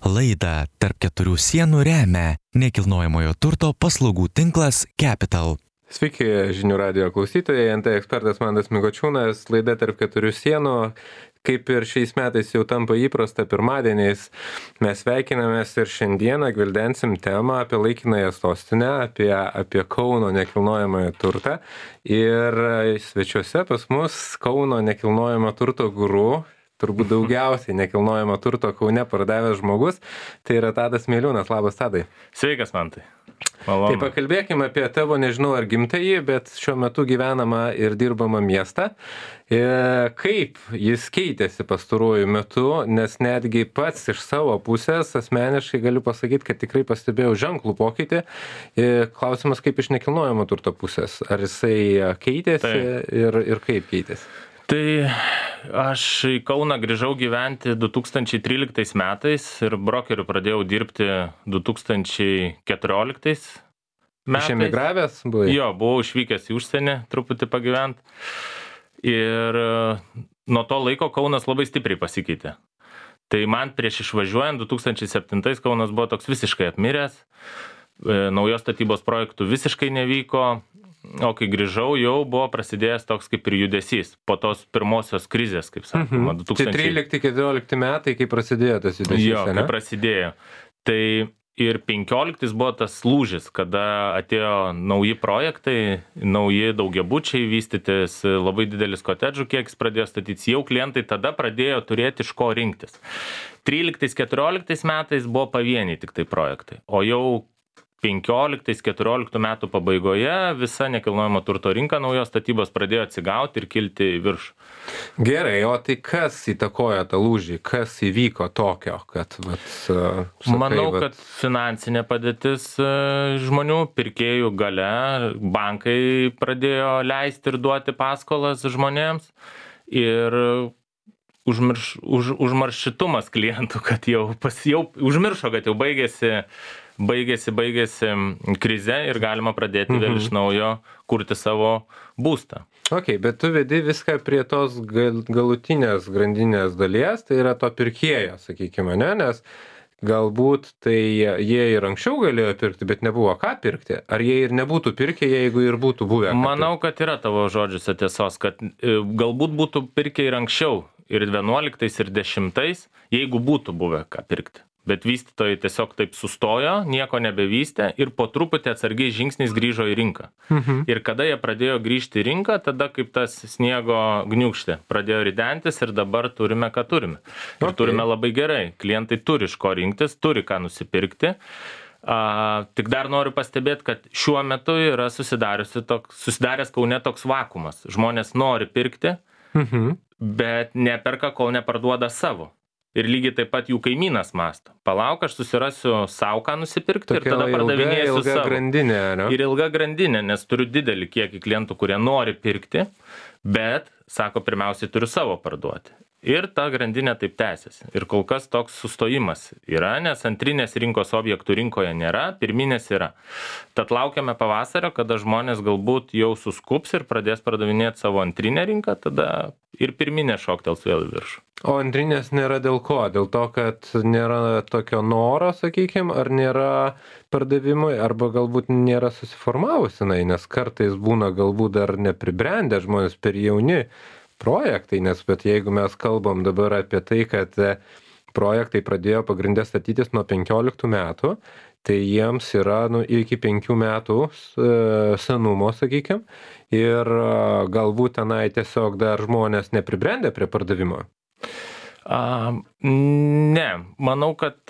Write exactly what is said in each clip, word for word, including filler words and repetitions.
Laidą Tarp keturių sienų remia nekilnojamojo turto paslaugų tinklas Capital. Sveiki, žinių radijo klausytojai, N T ekspertas Mantas Mikočiūnas, laida Tarp keturių sienų. Kaip ir šiais metais jau tampa įprasta pirmadieniais, mes sveikinamės ir šiandieną gvildensim temą apie laikinąją sostinę, apie, apie Kauno nekilnojamąjį turtą. Ir svečiuose pas mus Kauno nekilnojamo turto guru, turbūt daugiausiai nekilnojamo turto Kaune pardavęs žmogus, tai yra Tadas Miliūnas. Labas, Tadai. Sveikas, Mantai. Malonu. Tai pakalbėkime apie tavo, nežinau ar gimtąjį, bet šiuo metu gyvenamą ir dirbamą miestą. Kaip jis keitėsi pastaruoju metu, nes netgi pats iš savo pusės asmeniškai galiu pasakyti, kad tikrai pastebėjau ženklų pokytį. Klausimas, kaip iš nekilnojamo turto pusės. Ar jisai keitėsi tai. ir, ir kaip keitėsi? Tai aš į Kauną grįžau gyventi du tūkstančiai tryliktais metais ir brokeriu pradėjau dirbti du tūkstančiai keturioliktais metais. Iš emigravęs buvai? Jo, buvau išvykęs į užsienį truputį pagyvent. Ir nuo to laiko Kaunas labai stipriai pasikeitė. Tai man prieš išvažiuojant du tūkstančiai septintais Kaunas buvo toks visiškai apmiręs, naujos statybos projektų visiškai nevyko. O kai grįžau, jau buvo prasidėjęs toks kaip ir judesys po tos pirmosios krizės, kaip sakoma. Mhm. Tai trylikti keturiolikti metai, kai prasidėjo tas judesys, jo, kai prasidėjo. Tai ir penkioliktais buvo tas lūžis, kada atėjo nauji projektai, nauji daugiabučiai vystytis, labai didelis kotedžų kiekis pradėjo statytis, jau klientai tada pradėjo turėti iš ko rinktis. tryliktais keturioliktais metais buvo pavieniai tik tai projektai, o jau penkioliktais keturioliktų metų pabaigoje visa nekilnojamo turto rinka naujos statybos pradėjo atsigauti ir kilti į viršų. Gerai, o tai kas įtakoja tą lūžį? Kas įvyko tokio, kad... Vat, sakai, Manau, vat... kad finansinė padėtis žmonių, pirkėjų gale, bankai pradėjo leisti ir duoti paskolas žmonėms ir užmirš, už, užmaršitumas klientų, kad jau, pas, jau užmiršo, kad jau baigėsi baigėsi, baigėsi krize ir galima pradėti vėl iš naujo kurti savo būstą. Ok, bet tu vedi viską prie tos gal, galutinės grandinės dalies, tai yra to pirkėjo, sakykime, ne? Nes galbūt tai jie ir anksčiau galėjo pirkti, bet nebuvo ką pirkti. Ar jie ir nebūtų pirkę, jeigu ir būtų buvę? Manau, kad yra tavo žodžiuose tiesos, kad galbūt būtų pirkę ir anksčiau, ir vienuoliktais, ir dešimtais, jeigu būtų buvę ką pirkti. Bet vystytojai tiesiog taip sustojo, nieko nebevystė ir po truputį atsargiai žingsniais grįžo į rinką. Mhm. Ir kada jie pradėjo grįžti į rinką, tada kaip tas sniego gniūkštė pradėjo ridentis ir dabar turime, ką turime. Ir okay. Turime labai gerai. Klientai turi iš ko rinktis, turi ką nusipirkti. A, tik dar noriu pastebėti, kad šiuo metu yra toks, susidaręs Kaune toks vakumas. Žmonės nori pirkti, mhm. bet neperka, kol neparduoda savo. Ir lygiai taip pat jų kaimynas mąsto. Palauk, aš susirasiu savo ką nusipirkti Tokia ir tada pardavinėsiu ilga, ilga savo. Grandinė, ne? Ir ilga grandinė, nes turiu didelį kiekį klientų, kurie nori pirkti, bet, sako, pirmiausiai turiu savo parduoti. Ir ta grandinė taip tęsiasi. Ir kol kas toks sustojimas yra, nes antrinės rinkos objektų rinkoje nėra, pirminės yra. Tad laukiame pavasario, kada žmonės galbūt jau suskups ir pradės pardavinėti savo antrinę rinką, tada ir pirminė šoktels vėl į viršų. O antrinės nėra dėl ko? Dėl to, kad nėra tokio noro, sakykime, ar nėra pardavimui, arba galbūt nėra susiformavusi, nes kartais būna galbūt dar nepribrendę žmonės per jauni projektai, nes bet jeigu mes kalbam dabar apie tai, kad projektai pradėjo pagrindę statytis nuo penkioliktų metų, tai jiems yra nu, iki penkių metų senumo, sakykime, ir galbūt tenai tiesiog dar žmonės nepribrendę prie pardavimo. A, ne, manau, kad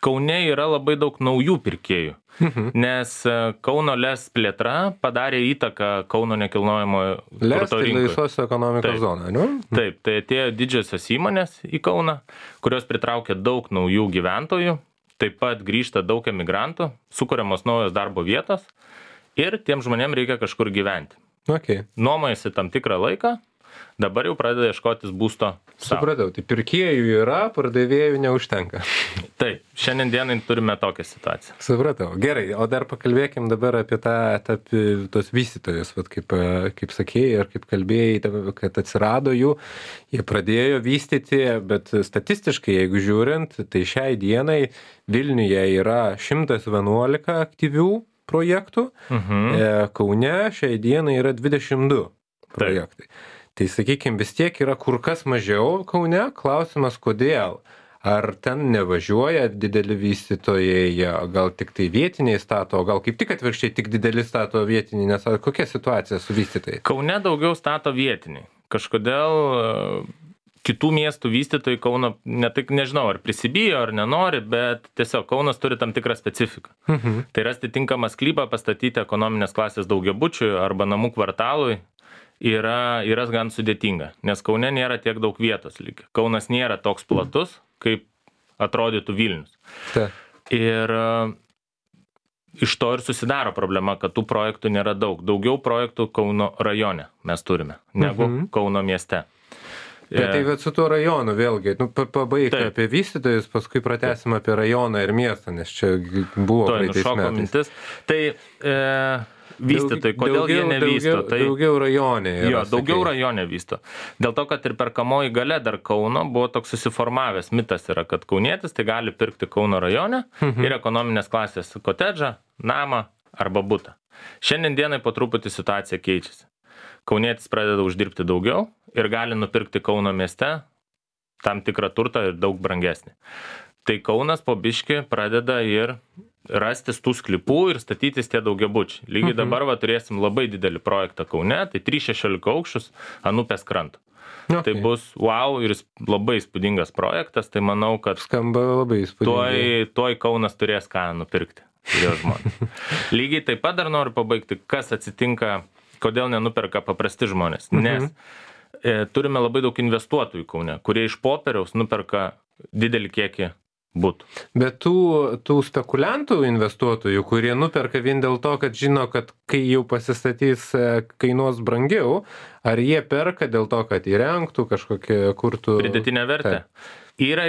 Kaune yra labai daug naujų pirkėjų, mhm. nes Kauno LES plėtra padarė įtaką Kauno nekilnojamo turto rinkai. LES tai laisvos ekonomikos zona, ne? Taip, tai atėjo didžiosios įmonės į Kauną, kurios pritraukė daug naujų gyventojų, taip pat grįžta daug emigrantų, sukuriamos naujos darbo vietos ir tiem žmonėm reikia kažkur gyventi. Okay. Nuomojasi tam tikrą laiką dabar jau pradeda ieškotis būsto savo. Supratau, tai pirkėjų yra, pardavėjų neužtenka. Taip, šiandien dienai turime tokią situaciją. Supratau. Gerai, o dar pakalbėkim dabar apie tą, tą tos vystytojus, vat kaip, kaip sakėjai ir kaip kalbėjai, kad atsirado jų, jie pradėjo vystyti, bet statistiškai, jeigu žiūrint, tai šiai dienai Vilniuje yra šimtas vienuolika aktyvių projektų, mhm. Kaune šiai dienai yra dvidešimt du projektai. Taip. Tai sakykime, vis tiek yra kur kas mažiau Kaune, klausimas kodėl. Ar ten nevažiuoja dideli vystytojai, gal tik tai vietiniai stato, gal kaip tik atvirkščiai tik dideli stato vietiniai, nes kokia situacija su vystytojai? Kaune daugiau stato vietiniai. Kažkodėl kitų miestų vystytojai Kauno, ne tik nežinau, ar prisibijo, ar nenori, bet tiesiog Kaunas turi tam tikrą specifiką. Mhm. Tai rasti tinkamą sklypą, pastatyti ekonominės klasės daugiabučiui arba namų kvartalui yra, yra gan sudėtinga, nes Kaune nėra tiek daug vietos lyg. Kaunas nėra toks platus, kaip atrodytų Vilnius. Ta. Ir iš to ir susidaro problema, kad tų projektų nėra daug. Daugiau projektų Kauno rajone mes turime, negu mhm. Kauno mieste. Bet tai bet su tuo rajonu vėlgi, nu, pabaig apie vystytojus, paskui pratęsim apie rajoną ir miestą, nes čia buvo praeitais metais. Mintis. Tai e, vystytojai, kodėl daugiau, jie nevysto? Daugiau, tai, daugiau rajone. Jo, daugiau rajone vysto. Dėl to, kad ir perkamoji galia dar Kauno buvo toks susiformavęs mitas yra, kad kaunietis tai gali pirkti Kauno rajone mhm. ir ekonominės klasės kotedžą, namą arba butą. Šiandien dienai po truputį situacija keičiasi. Kaunietis pradeda uždirbti daugiau ir gali nupirkti Kauno mieste tam tikrą turtą ir daug brangesnį. Tai Kaunas po biškį pradeda ir rastis tų sklypų ir statytis tie daugiabučiai. Lygiai mhm. dabar va, turėsim labai didelį projektą Kaune, tai trys šešiolika aukščius ant upės kranto. Okay. Tai bus wow ir labai įspūdingas projektas, tai manau, kad skamba labai įspūdingai. Tuoj, tuoj Kaunas turės ką nupirkti. Lygiai taip pat dar noriu pabaigti, kas atsitinka, kodėl nenuperka paprasti žmonės. Mhm. Nes e, turime labai daug investuotojų Kaune, kurie iš popieriaus nuperka didelį kiekį butų. Bet tų, tų spekuliantų investuotojų, kurie nuperka vien dėl to, kad žino, kad kai jau pasistatys kainuos brangiau, ar jie perka dėl to, kad įrengtų kažkokią kurtų... Pridėtinę vertę. Tai. Yra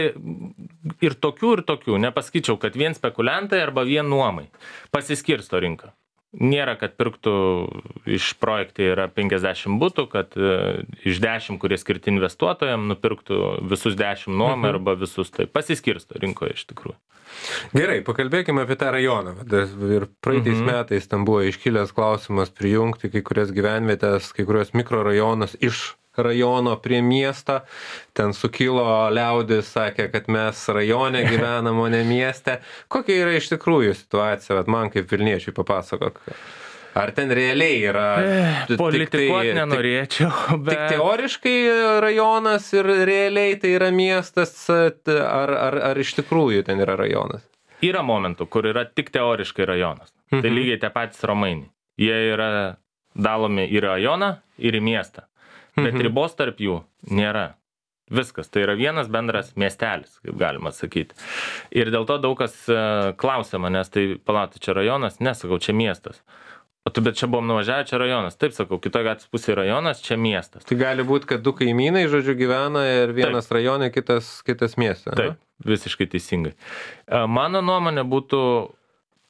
ir tokių, ir tokių. Nepasakyčiau, kad vien spekuliantai arba vien nuomai. Pasiskirsto rinka. Nėra, kad pirktų iš projektai yra penkiasdešimt butų, kad e, iš dešimt, kurie skirti investuotojams, nupirktų visus dešimt nuomai mhm. arba visus. Tai pasiskirsto rinkoje iš tikrųjų. Gerai, pakalbėkime apie tą rajoną. Ir praeitais mhm. metais tam buvo iškilęs klausimas prijungti kai kurias gyvenvietės, kai kurios mikrorajonus iš rajono prie miestą. Ten sukilo liaudis, sakė, kad mes rajone gyvenam, o ne mieste. Kokia yra iš tikrųjų situacija? Vat man kaip Vilniečiui papasakok. Ar ten realiai yra... Politikuot nenorėčiau, bet... Tik teoriškai rajonas ir realiai tai yra miestas, ar, ar, ar iš tikrųjų ten yra rajonas? Yra momentų, kur yra tik teoriškai rajonas. Mhm. Tai lygiai tie patys romainiai. Jie yra dalomi į rajoną ir į miestą. Bet mhm. ribos tarp jų nėra. Viskas. Tai yra vienas bendras miestelis, kaip galima sakyti. Ir dėl to daug kas klausia manęs, tai palatai, čia rajonas? Nesakau, čia miestas. O tu, bet čia buvom nuvažiavę, čia rajonas. Taip sakau, kitoje gatvės pusėje rajonas, čia miestas. Tai gali būti, kad du kaimynai, žodžiu, gyvena ir vienas Taip. Rajone, kitas, kitas mieste. Taip, ne? Visiškai teisingai. Mano nuomonė būtų,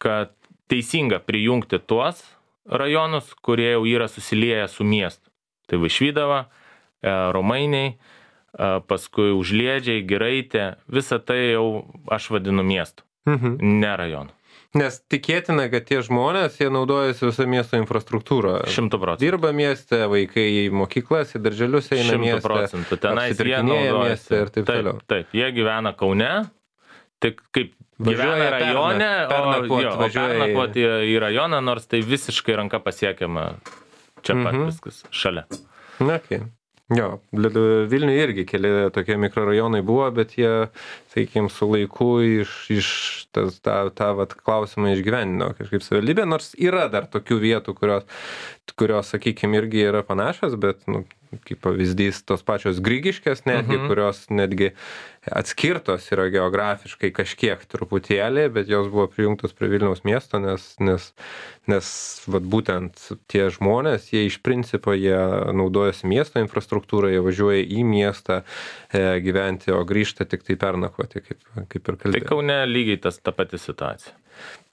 kad teisinga prijungti tuos rajonus, kurie jau yra susilieję su miestu. Tai Vaišvydava, Romainiai, paskui Užliedžiai, Giraitė, visą tai jau aš vadinu miestu, mhm. ne rajonu. Nes tikėtina, kad tie žmonės, jie naudojasi visą miesto infrastruktūrą. Šimtų procentų. Dirba mieste, vaikai į mokyklas, į darželius eina mieste. Šimtų procentų. Tenais jie naudojasi. Ir taip, taip, taip, jie gyvena Kaune, tik kaip gyvena rajone, pernakvot, o, jo, o pernakvot į, į rajoną, nors tai visiškai ranka pasiekiama. Čia pat mhm. viskas šalia. Na, okay. Jo, Vilniuje irgi keli tokie mikrorajonai buvo, bet jie, sakykime, su laiku iš, iš tas, tą, tą vat, klausimą išgyvenino kažkaip savivaldybė, nors yra dar tokių vietų, kurios, kurios sakykime, irgi yra panašios, bet nu, kaip pavyzdys, tos pačios Grigiškės netgi, Mhm. kurios netgi atskirtos yra geografiškai kažkiek truputėlį, bet jos buvo prijungtos prie Vilniaus miesto, nes, nes, nes vat, būtent tie žmonės, jie iš principo jie naudojasi miesto infrastruktūrą, jie važiuoja į miestą e, gyventi, o grįžta tik tai pernakvoti, kaip, kaip ir Tai kalbėjau. Kaune lygiai tas ta pati situacija.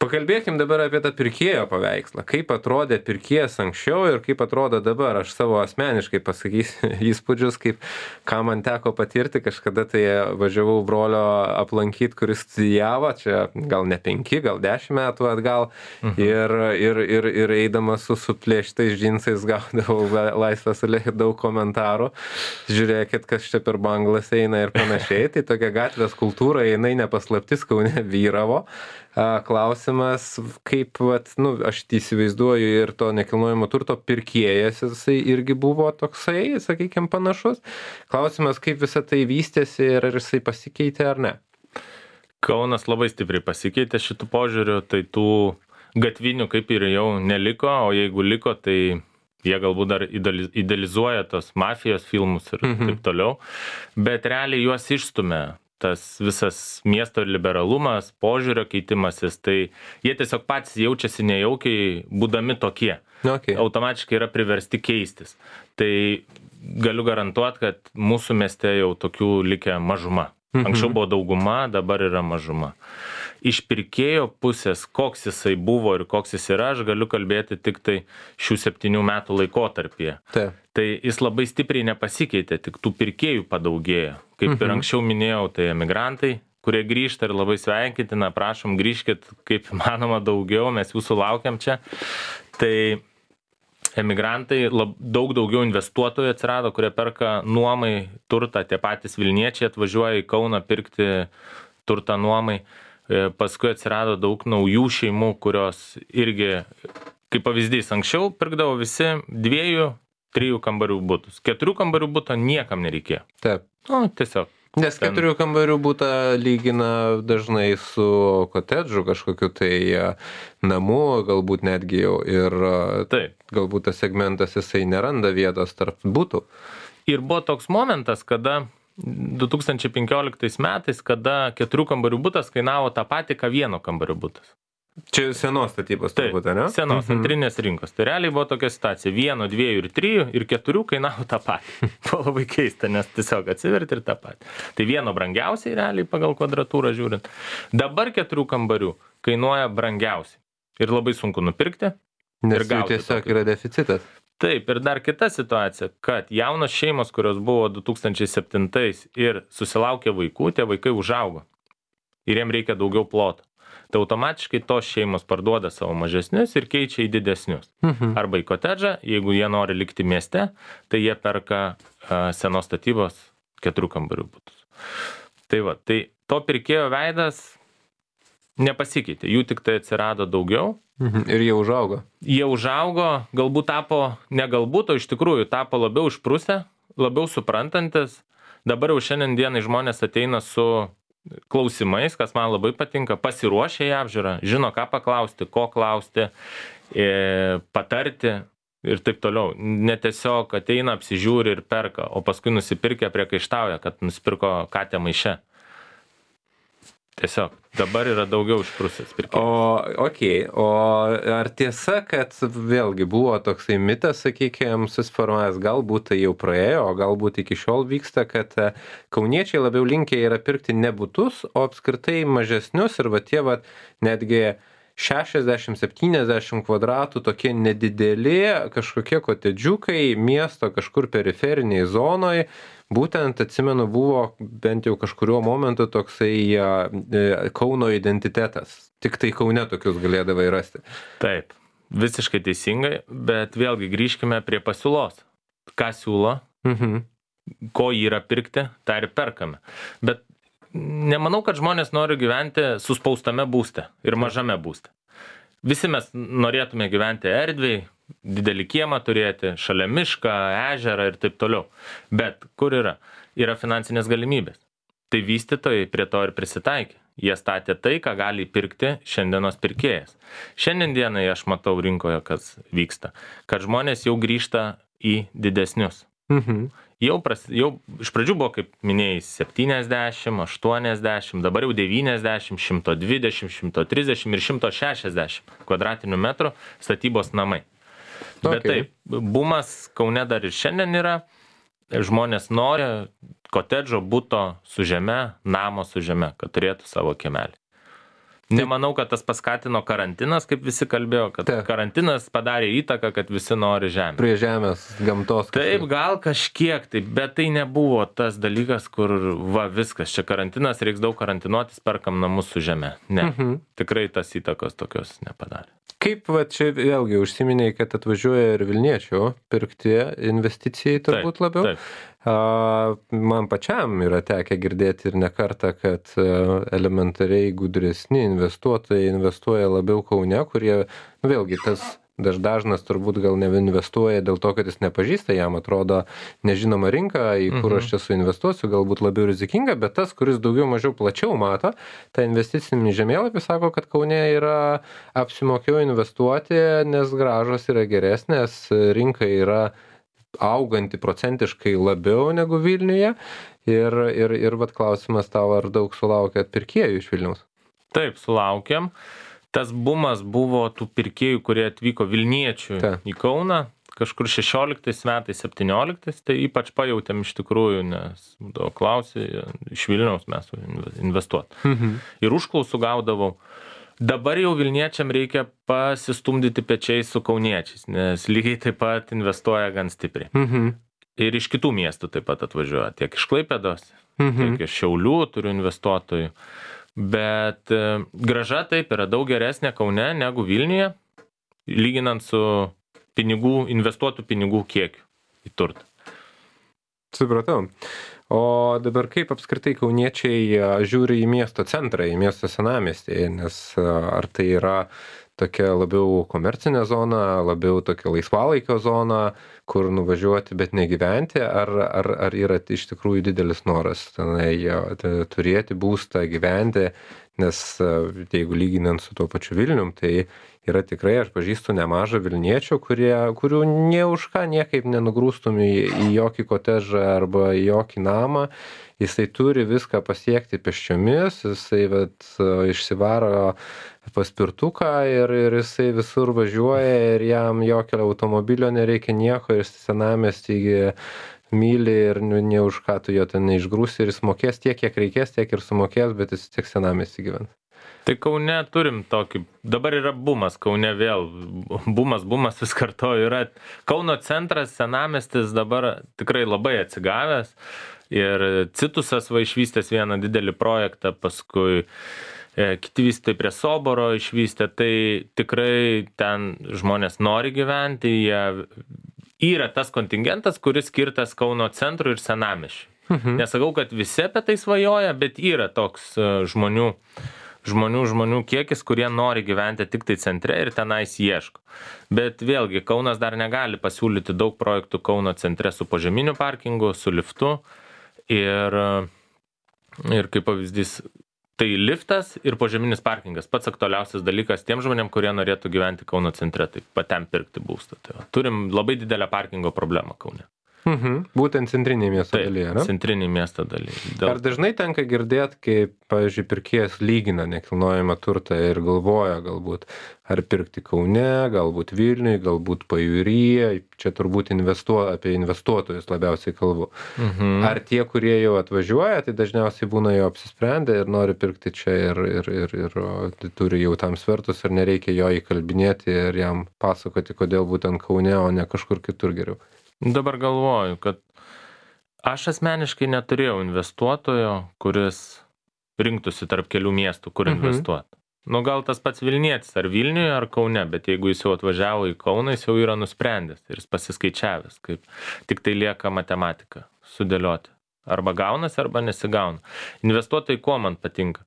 Pakalbėkim dabar apie tą pirkėjo paveikslą. Kaip atrodė pirkėjas anksčiau ir kaip atrodo dabar. Aš savo asmeniškai pasakysiu įspūdžius, kaip ką man teko patirti. Kažkada tai važiavau brolio aplankyti, kuris studijavo, čia gal ne penki, gal dešimt metų atgal. Mhm. Ir, ir, ir, ir eidamas su suplėštais džinsais gaudavau laisvas alėjai daug komentarų. Žiūrėkit, kas čia per banglas eina ir panašiai. Tai tokia gatvės kultūra, jinai nepaslaptis Kaune vyravo. Klausimas, kaip, vat, nu, aš įsivaizduoju ir to nekilnojamo turto pirkėjas, jisai irgi buvo toksai, sakykime, panašus. Klausimas, kaip visą tai vystėsi ir ar jisai pasikeitė ar ne. Kaunas labai stipriai pasikeitė šitų požiūrių, tai tų gatvinių kaip ir jau neliko, o jeigu liko, tai jie galbūt dar idealizuoja tos mafijos filmus ir mhm. taip toliau, bet realiai juos išstumė. Tas visas miesto liberalumas, požiūrio keitimasis, tai jie tiesiog patys jaučiasi nejaukiai, būdami tokie. Okay. Automatiškai yra priversti keistis. Tai galiu garantuoti, kad mūsų mieste jau tokių likę mažuma. Anksčiau buvo dauguma, dabar yra mažuma. Iš pirkėjo pusės, koks jisai buvo ir koks jis yra, aš galiu kalbėti tik tai šių septynių metų laikotarpyje. Taip. Tai jis labai stipriai nepasikeitė, tik tų pirkėjų padaugėjo. Kaip ir anksčiau minėjau, tai emigrantai, kurie grįžta ir labai sveikintina, prašom grįžkit kaip manoma daugiau, mes jūsų laukiam čia. Tai emigrantai, lab, daug daugiau investuotojų atsirado, kurie perka nuomai turtą, tie patys Vilniečiai atvažiuoja į Kauną pirkti turtą nuomai. Paskui atsirado daug naujų šeimų, kurios irgi, kaip pavyzdys, anksčiau pirkdavo visi dviejų, trijų kambarių butus. Keturių kambarių buto niekam nereikėjo. Taip. Nu, tiesiog. Nes ten... keturių kambarių butą lygina dažnai su kotedžu kažkokiu tai namu, galbūt netgi jau ir Taip. Galbūt tas segmentas jisai neranda vietos tarp butų. Ir buvo toks momentas, kada du tūkstančiai penkioliktais metais, kada keturių kambarių butas kainavo tą patį, ką vieno kambario butas. Čia senos statybos turbūt, ne? Senos, mhm. antrinės rinkos. Tai realiai buvo tokia situacija. Vieno, dviejų ir trijų ir keturių kainavo tą patį. Buvo labai keista, nes tiesiog atsiverti ir tą patį. Tai vieno brangiausiai realiai pagal kvadratūrą žiūrint. Dabar keturių kambarių kainuoja brangiausiai. Ir labai sunku nupirkti. Nes jų tiesiog tokį. Yra deficitas. Taip, ir dar kita situacija, kad jaunos šeimos, kurios buvo du tūkstančiai septintais ir susilaukė vaikų, tie vaikai užaugo. Ir jiem reikia daugiau ploto. Tai automatiškai tos šeimos parduoda savo mažesnius ir keičia į didesnius. Mhm. Arba į kotedžą, jeigu jie nori likti mieste, tai jie perka uh, senos statybos keturių kambarių butus. Tai va, tai to pirkėjo veidas nepasikeitė, jų tik tai atsirado daugiau. Mhm. Ir jie užaugo. Jie užaugo, galbūt tapo, ne galbūt, o iš tikrųjų tapo labiau išprusę, labiau suprantantis. Dabar jau šiandien dienai žmonės ateina su klausimais, kas man labai patinka, pasiruošę į apžiūrą, žino ką paklausti, ko klausti, e, patarti ir taip toliau. Ne tiesiog ateina, apsižiūri ir perka, o paskui nusipirkę priekaištauja, kad nusipirko katę maiše. Tiesiog, dabar yra daugiau išprusęs pirkėjas. O, okei, okay. O ar tiesa, kad vėlgi buvo toksai mitas, sakykime, susiformavęs, galbūt tai jau praėjo, o galbūt iki šiol vyksta, kad kauniečiai labiau linkę yra pirkti ne butus, o apskritai mažesnius ir va tie va netgi šešiasdešimt septyniasdešimt kvadratų tokie nedideli kažkokie kotedžiukai miesto kažkur periferiniai zonoje. Būtent, atsimenu, buvo bent jau kažkurio momentu toksai e, Kauno identitetas. Tik tai Kaune tokius galėdavai rasti. Taip, visiškai teisingai, bet vėlgi grįžkime prie pasiūlos. Ką siūlo, mhm. ko yra pirkti, tą ir perkame. Bet nemanau, kad žmonės nori gyventi suspaustame būste ir mažame būste. Visi mes norėtume gyventi erdviai, didelį kiemą turėti, šalia mišką, ežerą ir taip toliau. Bet kur yra? Yra finansinės galimybės. Tai vystytojai prie to ir prisitaikė. Jie statė tai, ką gali pirkti šiandienos pirkėjas. Šiandien dienai aš matau rinkoje, kas vyksta. Kad žmonės jau grįžta į didesnius. Mhm. Jau, pras, jau iš pradžių buvo, kaip minėjai, septyniasdešimt, aštuoniasdešimt, dabar jau devyniasdešimt, šimtas dvidešimt, šimtas trisdešimt ir šimtas šešiasdešimt kvadratinių metrų statybos namai. Okay. Bet taip, bumas Kaune dar ir šiandien yra, žmonės nori kotedžo, buto su žeme, namo su žeme, kad turėtų savo kiemelį. Nemanau, kad tas paskatino karantinas, kaip visi kalbėjo, kad Taip. Karantinas padarė įtaką, kad visi nori žemę. Prie žemės, gamtos. Taip, gal kažkiek, taip, bet tai nebuvo tas dalykas, kur va viskas, čia karantinas, reiks daug karantinuotis, perkam namus su žeme. Ne, Mhm. tikrai tas įtakos tokios nepadarė. Kaip va čia vėlgi užsiminiai, kad atvažiuoja ir Vilniečių pirkti investicijai turbūt Taip, labiau? taip. A, man pačiam yra tekę girdėti ir ne kartą, kad a, elementariai gudresni investuotojai investuoja labiau Kaune, kurie, nu, vėlgi, tas daž- dažnas turbūt gal neinvestuoja dėl to, kad jis nepažįsta, jam atrodo nežinoma rinka, į kur Mhm. aš čia suinvestuosiu, galbūt labiau rizikinga, bet tas, kuris daugiau mažiau plačiau mato, tą investicinį žemėlapį sako, kad Kaune yra apsimokėjo investuoti, nes grąžos yra geresnės, rinka yra auganti procentiškai labiau negu Vilniuje. Ir, ir, ir vat klausimas tau, ar daug sulaukėt pirkėjų iš Vilniaus? Taip, sulaukėm. Tas bumas buvo tų pirkėjų, kurie atvyko Vilniečių Ta. į Kauną, kažkur šešioliktais metais, septynioliktais, tai ypač pajautėm iš tikrųjų, nes būdavo klausė, iš Vilniaus mes investuot. Mhm. Ir užklausų gaudavau. Dabar jau Vilniečiam reikia pasistumdyti pečiais su kauniečiais, nes lygiai taip pat investuoja gan stipriai. Mhm. Ir iš kitų miestų taip pat atvažiuoja, tiek iš Klaipėdos, Mhm. tiek iš Šiaulių turiu investuotojų. Bet e, grąža taip yra daug geresnė Kaune negu Vilniuje, lyginant su pinigų, investuotų pinigų kiekiu į turtą. Supratau. O dabar kaip apskritai kauniečiai a, žiūri į miesto centrą, į miesto senamiestį, nes a, ar tai yra tokia labiau komercinė zona, labiau tokia laisvalaikio zona, kur nuvažiuoti, bet negyventi, ar, ar, ar yra iš tikrųjų didelis noras tenai a, t- turėti būstą, gyventi, nes a, jeigu lyginant su tuo pačiu Vilnium, tai yra tikrai, aš pažįstu nemažą Vilniečių, kurie, kurių nie už ką niekaip nenugrūstum į, į jokį kotežą arba į jokį namą. Jisai turi viską pasiekti pėsčiomis, jisai vat, išsivaro paspirtuką ir, ir jisai visur važiuoja ir jam jokio automobilio nereikia nieko ir senamiestį myli ir nu, ne už ką tu jo ten neišgrūsi ir jis mokės tiek, kiek reikės, tiek ir sumokės, bet jis tiek senamiestį gyvens. Tai Kaune turim tokį, dabar yra bumas, Kaune vėl, bumas, bumas vis kartoju, yra Kauno centras, senamiestis dabar tikrai labai atsigavęs ir Citusas va išvystęs vieną didelį projektą, paskui e, kiti vystytojai prie Soboro išvystė, tai tikrai ten žmonės nori gyventi, jie yra tas kontingentas, kuris skirtas Kauno centrui ir senamiesčiui. Mhm. Nesakau, kad visi apie tai svajoja, bet yra toks e, žmonių, žmonių, žmonių kiekis, kurie nori gyventi tik tai centre ir tenais ieško. Bet vėlgi, Kaunas dar negali pasiūlyti daug projektų Kauno centre su požeminiu parkingu, su liftu. Ir, ir kaip pavyzdys, tai liftas ir požeminis parkingas. Pats aktualiausias dalykas tiem žmonėm, kurie norėtų gyventi Kauno centre, tai patiem pirkti būstą. Tai va, turim labai didelę parkingo problemą Kaune. Mhm. Būtent centrinėje miesto Taip, dalyje, ne? centrinį miesto daly. Ar dažnai tenka girdėti, kaip, pavyzdžiui, pirkėjas lygina nekilnojamą turtą ir galvoja galbūt, ar pirkti Kaune, galbūt Vilniui, galbūt Pajūryje, čia turbūt investuo, apie investuotojus labiausiai kalbu. Mhm. Ar tie, kurie jau atvažiuoja, tai dažniausiai būna jau apsisprendę ir nori pirkti čia ir, ir, ir, ir o, tai turi jau tam svertus ir nereikia jo įkalbinėti ir jam pasakoti, kodėl būtent Kaune, o ne kažkur kitur geriau. Dabar galvoju, kad aš asmeniškai neturėjau investuotojo, kuris rinktųsi tarp kelių miestų, kur Mhm. investuoti. Nu, gal tas pats Vilnietis, ar Vilniuje, ar Kaune, bet jeigu jis jau atvažiavo į Kauną, jis jau yra nusprendęs ir jis pasiskaičiavęs, kaip tik tai lieka matematika sudėlioti. Arba gaunasi, arba nesigauna. Investuotojai kuo man patinka?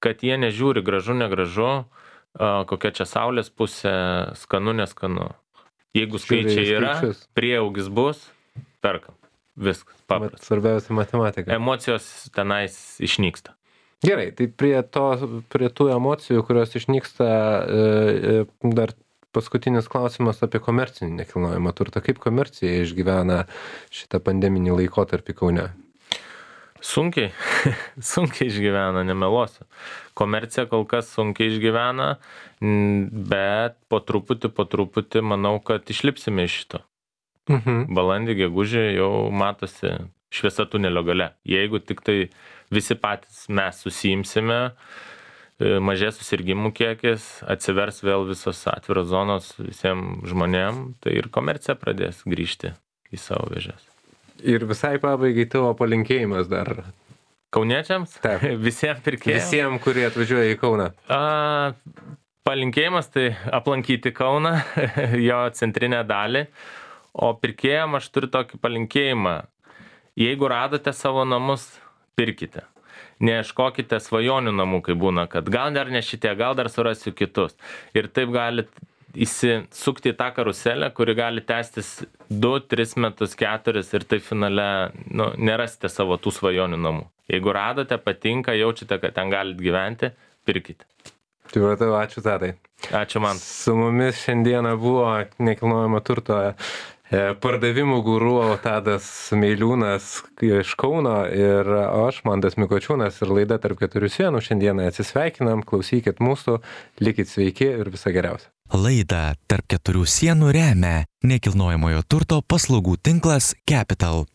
Kad jie nežiūri gražu, negražu, a, kokia čia saulės pusė, skanu, neskanu. Jeigu skaičiai Žiūri į yra, skaičius. prieaugis bus, perkam. Viskas, Mat, paprasta. svarbiausia matematika. Emocijos tenais išnyksta. Gerai, tai prie, to, prie tų emocijų, kurios išnyksta, e, e, dar paskutinis klausimas apie komercinį nekilnojamą turtą. Kaip komercija išgyvena šitą pandeminį laikotarpį Kaune? Sunkiai, sunkiai išgyvena, nemeluosiu. Komercija kol kas sunkiai išgyvena, bet po truputį, po truputį manau, kad išlipsime iš šito. Mhm. Balandį, gegužį jau matosi šviesa tunelio gale. Jeigu tik tai visi patys mes susiimsime, mažės susirgimų kiekis, atsivers vėl visos atviros zonos visiems žmonėm, tai ir komercija pradės grįžti į savo vėžes. Ir visai pabaigai tavo palinkėjimas dar. Kauniečiams? Taip. Visiems pirkėjams? Visiems, kurie atvažiuoja į Kauną. A, palinkėjimas tai aplankyti Kauną, jo centrinę dalį, o pirkėjams aš turiu tokį palinkėjimą. Jeigu radote savo namus, pirkite. Neieškokite svajonių namų, kai būna, kad gal dar ne šitie, gal dar surasiu kitus. Ir taip galit įsisukti į tą karuselę, kuri gali tęstis du, tris metus, keturis ir tai finale nu, nerasite savo tų svajonių namų. Jeigu radote, patinka, jaučiate, kad ten galite gyventi, pirkite. Tai matau, ačiū Tadai. Ačiū man. Su mumis šiandieną buvo nekilnojamo turto pardavimų guru Tadas Meiliūnas iš Kauno ir aš, Mantas Mikočiūnas, ir laida Tarp keturių sienų. Šiandieną atsisveikinam, klausykit mūsų, likit sveiki ir viso geriausio. Laidą Tarp keturių sienų remia nekilnojamojo turto paslaugų tinklas Capital.